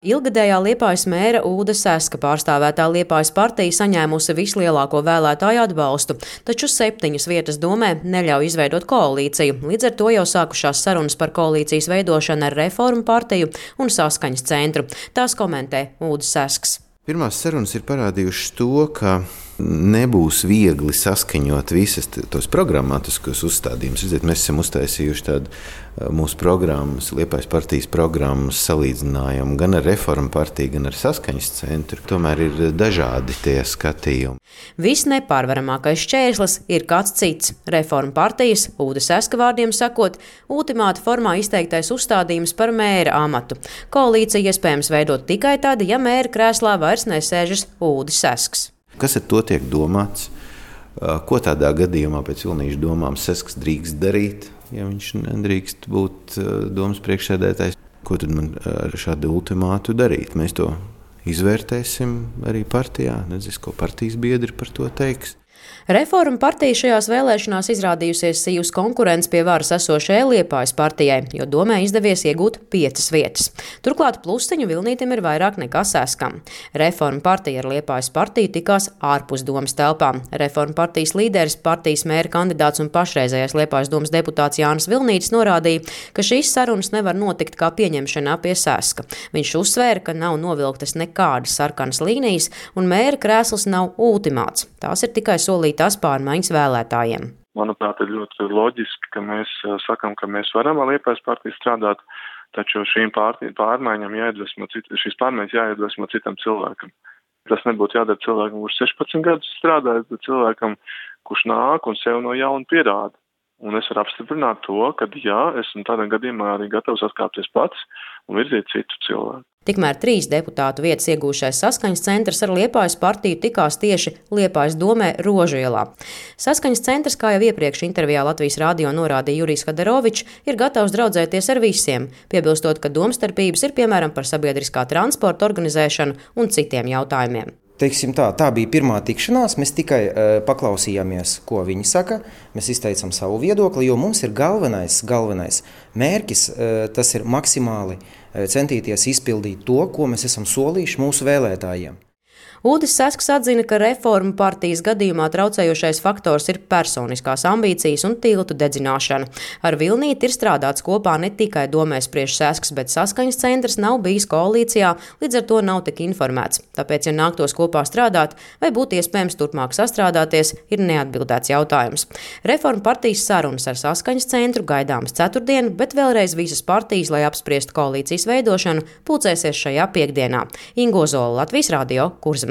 Ilgadējā Liepājas mēra Ulda Seska pārstāvētā Liepājas partija saņēmusi vislielāko vēlētāju atbalstu, taču 7 vietas domē neļauj izveidot koalīciju. Līdz ar to jau sākušās sarunas par koalīcijas veidošanu ar Reformu partiju un Saskaņas centru. Tās komentē Ulda Sesks. Pirmās sarunas ir parādījušas to, ka nebūs viegli saskaņot visas tos programmatiskos uzstādījumus. Mēs esam uztaisījuši tādu mūsu programmas, Liepājas partijas programmas salīdzinājumu gan ar Reformu partiju, gan ar Saskaņas centru. Tomēr ir dažādi tie skatījumi. Viss nepārvaramākais šķērslis ir kāds cits. Reformu partijas, Ulda Seska vārdiem sakot, ultimāta formā izteiktais uzstādījums par mēra amatu. Koalīcija iespējams veidot tikai tad, ja mēra krēslā vairs nesēžas Ulda Sesks. Kas ar to tiek domāts? Ko tādā gadījumā pēc Vilnīša domām Sesks drīkst darīt, ja viņš nedrīkst būt domas priekšsēdētājs? Ko tad man ar šādu ultimātu darīt? Mēs to izvērtēsim arī partijā. Nezinu, ko partijas biedri par to teiks. Reformu partija šajās vēlēšanās izrādījusies sīvas konkurence pie varas esošajai Liepājas partijai, jo domē izdevies iegūt 5 vietas. Turklāt plusiņu Vilnītim ir vairāk nekā Seskam. Reformu partija ar Liepājas partiju tikās ārpus domas telpām. Reformu partijas līderis, partijas mēra kandidāts un pašreizējais Liepājas domas deputāts Jānis Vilnītis norādīja, ka šīs sarunas nevar notikt kā pieņemšanā pie Seska. Viņš uzsvēra, ka nav novilktas nekādas sarkanas līnijas un mēra krēsls nav ultimāts. Tās ir tikai solītās pārmaiņas vēlētājiem. Manuprāt, ir ļoti loģiski, ka mēs sakam, ka mēs varam ar Liepājas partiju strādāt, taču šīs pārmaiņas jāiedvesmo citam cilvēkam. Tas nebūtu jādara cilvēkam, kurš 16 gadus strādājis, bet cilvēkam, kurš nāk un sev no jauna pierāda. Un es varu apstiprināt to, ka esmu tādā gadījumā arī gatavs atkāpties pats un virzīt citu cilvēku. Tikmēr 3 deputātu vietas iegūšais Saskaņas centrs ar Liepājas partiju tikās tieši Liepājas domē Rožielā. Saskaņas centrs, kā jau iepriekš intervijā Latvijas radio norādīja Jurijs Hadarovičs, ir gatavs draudzēties ar visiem, piebilstot, ka domstarpības ir piemēram par sabiedriskā transporta organizēšanu un citiem jautājumiem. Teiksim tā bija pirmā tikšanās, mēs tikai paklausījāmies, ko viņi saka, mēs izteicam savu viedokli, jo mums ir galvenais mērķis, tas ir maksimāli centīties izpildīt to, ko mēs esam solījuši mūsu vēlētājiem. Uldis Sesks atzina, ka Reformu partijas gadījumā traucējošais faktors ir personiskās ambīcijas un tiltu dedzināšana. Ar Vilnīti ir strādāts kopā ne tikai domē spriež Sesks, bet Saskaņas centrs nav bijis koalīcijā, līdz ar to nav tik informēts. Tāpēc, ja nāktos kopā strādāt vai būtu iespējams turpmāk sastrādāties, ir neatbildēts jautājums. Reformu partijas sarunas ar Saskaņas centru gaidāmas ceturtdien, bet vēlreiz visas partijas, lai apspriestu koalīcijas veidošanu, pulcēsies šajā piektdienā. Ingo Zola, Latvijas radio, Kurzemē.